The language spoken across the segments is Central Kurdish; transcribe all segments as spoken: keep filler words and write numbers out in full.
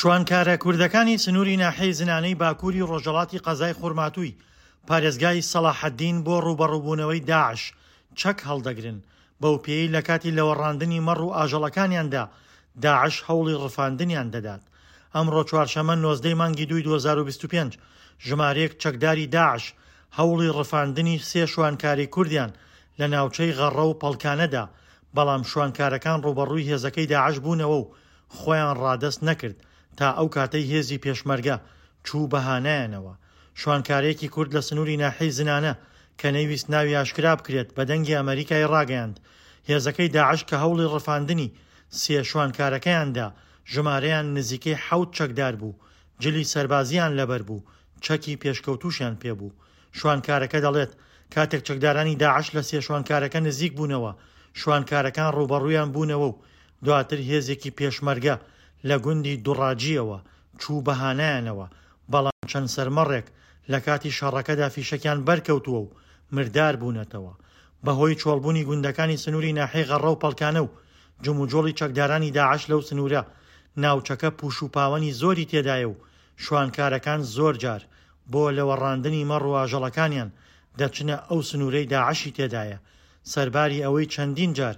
شوانکارە کوردەکانی سنووری ناحیەی زنانەی باکووری ڕۆژهەڵاتی قەزای خورماتووی پارێزگای سەڵاحەدین بۆ ڕووبەڕووبوونەوەی داعش چەک هەڵدەگرن، بەو پێیەی لە کاتی لەوەڕاندنی مەڕ و ئاژەڵەکانیاندا داعش هەوڵی ڕفاندنیان دەدات. ئەمڕۆ چوارشەممە نۆزدە ی مانگی دووی دوو هەزار و بیست و پێنج ژمارەیەک چەکداری داعش هەوڵی ڕفاندنی سێ شوانکاری کوردیان لە ناوچەی غەڕە و پەڵکانەدا، بەڵام شوانکارەکان ڕووبەڕووی هێزەکەی داعش بوونەوە و خۆیان ڕادەست نەکرد تا ئەو کاتەی هێزی پێشمەرگە چوو بە هانایانەوە. شوانکارێکی کورد لە سنووری ناحیەی زنانە کە نەیویست ناوی ئاشکرا بکرێت بە دەنگی ئەمەریکای ڕاگەیاند هێزەکەی داعش کە هەوڵی ڕفاندنی سێ شوانکارەکەیان دا ژمارەیان نزیکەی حەوت چەکدار بوو، جلی سەربازییان لەبەر بوو، چەکی پێشکەوتووشیان پێبوو. شوانکارەکە دەڵێت کاتێک چەکدارانی داعش لە سێ شوانکارەکە نزیک بوونەوە، شوانکارەکان ڕووبەڕوویان بوونەوە و دواتر هێزێکی پێشمەرگە لە گوندی دوڕاجییەوە چوو بە هانایانەوە، بەڵام چەند سەرمەڕێک لە کاتی شەڕەکەدا فیشەکیان بەرکەوتووە و مردار بوونەتەوە. بەهۆی چۆڵبوونی گوندەکانی سنووری ناحیەی غەڕە و پەڵکانە و جموجۆڵی چەکدارانی داعش لەو سنوورە، ناوچەکە پوش و پاوەنی زۆری تێدایە و شوانکارەکان زۆرجار بۆ لەوەڕاندنی مەڕ و ئاژەڵەکانیان دەچنە ئەو سنوورەی داعشی تێدایە، سەرباری ئەوەی چەندین جار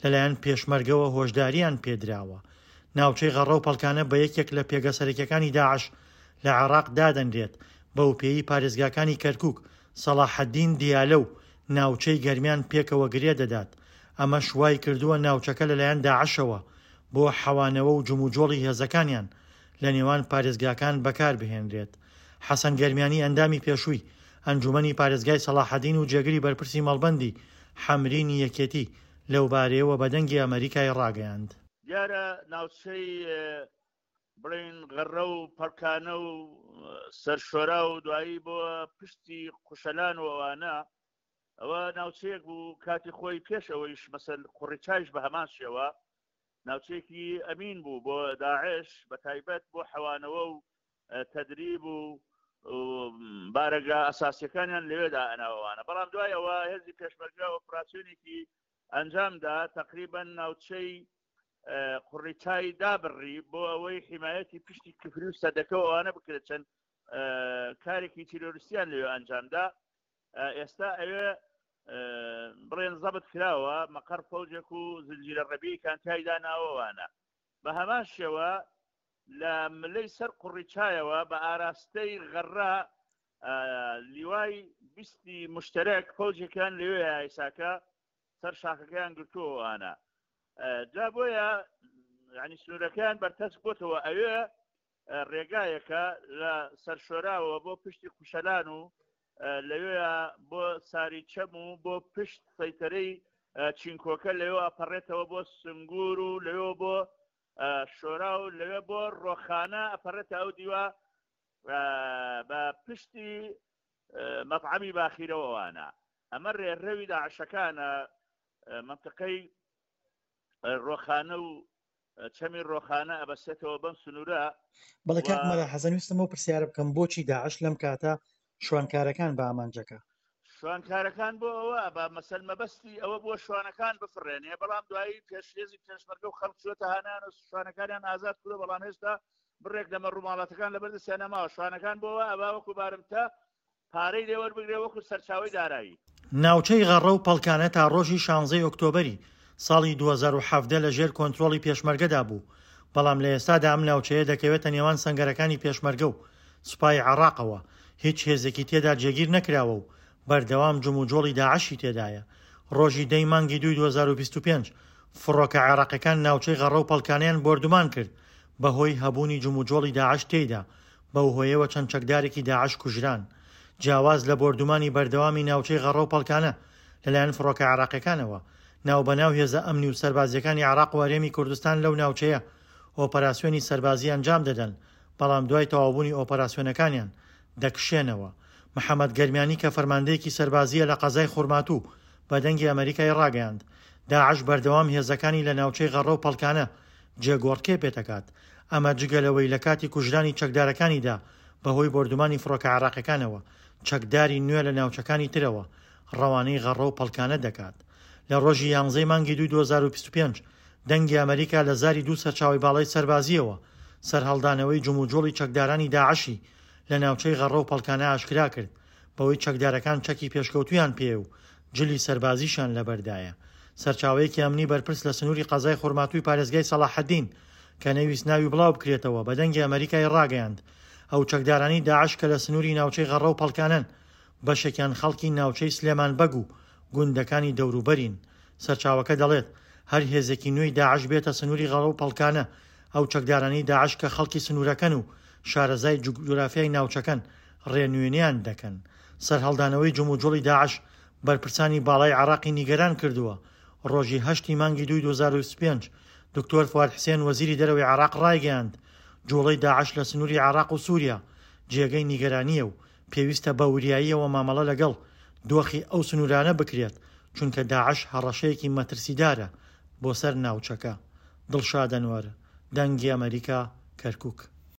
لەلایەن پێشمەرگەوە هۆشدارییان پێدراوە. ناوچەی غەڕە و پەڵکانە بە یەکێک لە پێگە سەرەکیەکانی داعش لە عێراق دادەنرێت، بەوپێیەی پارێزگاکانی کەرکوک، سەڵاحەدین، دیالە و ناوچەی گەرمیان پێکەوە گرێ دەدات، ئەمەش وایکردووە ناوچەکە لەلایەن داعشەوە بۆ حەوانەوە و جموجۆڵی هێزەکانیان لە نێوان پارێزگاکان بەکاربهێنرێت. حەسەن گەرمیانی ئەندامی پێشووی ئەنجومەنی پارێزگای سەڵاحەدین و جێگری بەرپرسی مەڵبەندی حەمرینی یەکێتی لەوبارەیەوە بە دەنگی ئەمەریکای ڕاگەیاند. دیارە ناوچەی بڵێین غەڕە و پەڵکانە و سەرشۆرا و دوایی بۆ پشتی قوشەلان و ئەوانە، ئەوە ناوچەیەک بوو کاتی خۆی پێش ئەوەیش مەسەل قوڕیچایش بە هەمان شێوە ناوچەیەکی ئەمین بوو بۆ داعش، بە تایبەت بۆ حەوانەوە و تەدریب و بارەگا ئەساسیەکانیان لەوێدا ئەناوەوانە. بەڵام دوای ئەوە هێزی پێشمەرگە ئۆپراسیۆنێکی ئەنجامدا، تقریبا ناوچەی قوڕیچای دابڕی بۆ ئەوەی حمایەتی پشتی کفری و سەدەکە و ئەوانە بکرێت، چەند کارێکی تیرۆریستیان لەوێ ئەنجامدا. ئێستا ئەوێ بڵێن زەبت کراوە، مەقەر فەوجێک و زنجیرە ڕەبی کانتایدا ناوەوانە. بە هەمان شێوە لە ملەی سەر قوڕیچایەوە بە ئاراستەی غەڕە لیوای بیستی مشتەرەک فەوجێکیان لەوێ ئایساکە سەر شاخەکەیان گرتووەوانە. جا بۆیە ینی سنوورەکەیان بەرتەسک بۆتەوە. ئەوێ ڕێگایەکە لە سەرشۆراوە بۆ پشتی قوشەلان و لەوێ بۆ ساری چەم و بۆ پشت سەیتەرەی چینکۆکە لەوێ ئەپەڕێتەوە بۆ سنگور و لەوێ بۆ شۆرا و لەوێ بۆ ڕۆخانە ئەپەڕێتە ئەو دیوە بە پشتی مەطعەمی باخیرەوەوانە. ئەمە ڕێڕەوی داعشەکانە، منطقەی ڕۆخانە و چەمی ڕۆخانە ئەبەسێتەوە بەم سنوورە. بەڵێ کاک مەلا حەسەن، ویستم ئەو پرسیارە بکەم بۆچی داعش لەم کاتە شوانکارەکان بە ئامانجەکە؟ شوانکارەکان بۆ ئەوە بە مەسەل مەبەستی ئەوە بۆ شوانەکان بفڕێنێ، بەڵام دوایی پێشێزی پێشمەرگە و خەڵک چووەتە هانان و شوانەکانیان ئازاد کردووە، بەڵام هێشتا بڕێک لە مەڕووماڵاتەکان لەبەر دەستیان نەماوە. شوانەکان بۆ ئەوە ئەبا وەکو بارمتە پارەی لێوەربگرێ وەکو سەرچاوەی دارایی. ناوچەی غەڕە و پەڵکانە تا ڕۆژی شانزەی ئۆکتۆبەری ساڵی دوو هەزار و حەڤدە لە ژێر کۆنترۆڵی پێشمەرگەدا بوو، بەڵام لە ئێستادا ئەم ناوچەیە دەکەوێتە نێوان سەنگەرەکانی پێشمەرگە و سوپای عێراقەوە، هیچ هێزێکی تێدا جێگیر نەکراوە و بەردەوام جموجۆڵی داعشی تێدایە. ڕۆژی دەی مانگی دووی دوو هەزار و بیست و پێنج فڕۆکە عێراقیەکان ناوچەی غەڕە و پەڵکانەیان بۆردومان کرد بەهۆی هەبوونی جموجۆڵی داعش تێیدا، بەو هۆیەوە چەند چەکدارێکی داعش کوژران. جیاواز لە بۆردومانی بەردەوامی ناوچەی غەڕە و پەڵکانە لەلایەن فڕۆکە عێراقیەکانەوە، ناوبەناو هێزە ئەمنی و سەربازیەکانی عێراق و هەرێمی کوردستان لەو ناوچەیە ئۆپەراسیۆنی سەربازی ئەنجام دەدەن، بەڵام دوای تەواوبوونی ئۆپەراسیۆنەکانیان دەکشێنەوە. محەمەد گەرمیانی کە فەرماندەیەکی سەربازییە لە قەزای خورماتوو بە دەنگی ئەمەریکای ڕاگەیاند، داعش بەردەوام هێزەکانی لە ناوچەی غەڕە و پەڵکانە جێگۆڕکێ پێدەکات، ئەمە جگە لەوەی لە کاتی کوژرانی چەکدارەکانیدا بەهۆی بۆردومانی فڕۆکە عێراقیەکانەوە چەکداری نوێ لە ناوچەکانی ترەوە ڕەوانەی غەڕە و پەڵکانە دەکات. لە ڕۆژی یانزەی مانگی دووی دوو هەزار و بیست و پێنج دەنگی ئەمەریکا لە زاری دوو سەرچاوەی باڵای سەربازییەوە سەرهەڵدانەوەی جموجوڵی چەکدارانی داعشی لە ناوچەی غەڕە و پەڵکانە ئاشکرا کرد، بەوەی چەکدارەکان چەکی پێشکەوتوویان پێیە و جلی سەربازیشیان لەبەردایە. سەرچاوەیەکی ئەمنی بەرپرس لە سنووری قەزای خورماتووی پارێزگای سەڵاحەدین کە نەیویست ناوی بڵاو بکرێتەوە بە دەنگی ئەمەریکای ڕاگەیاند ئەو چەکدارانەی داعش کە لە سنووری ناوچەی غەڕە و پەڵکانەن بەشێکیان خەڵکی ناوچەی سلێمان بەگ و گوندەکانی دەوروبەرین. سەرچاوەکە دەڵێت هەر هێزێکی نوێی داعش بێتە سنووری غەڕە و پەڵکانە ئەو چەکدارانەی داعش کە خەڵکی سنوورەکەن و شارەزای جوگرافیای ناوچەکەن ڕێنوێنیان دەکەن. سەرهەڵدانەوەی جموجوڵی داعش بەرپرسانی باڵای عێراقی نیگەران کردووە. ڕۆژی هەشتی مانگی دووی دوو هەزار و بیست و پێنج دکتۆر فواد حسێن وەزیری دەرەوەی عێراق ڕایگەیاند جوڵەی داعش لە سنووری عێراق و سووریا جێگەی نیگەرانییە و پێویستە بە وریاییەوە مامەڵە لەگەڵ دۆخی ئەو سنوورانە بکرێت چونکە داعش هەڕەشەیەکی مەترسیدارە بۆ سەر ناوچەکە. دڵشاد ئەنوەر، دەنگی ئەمەریکا، کەرکوک.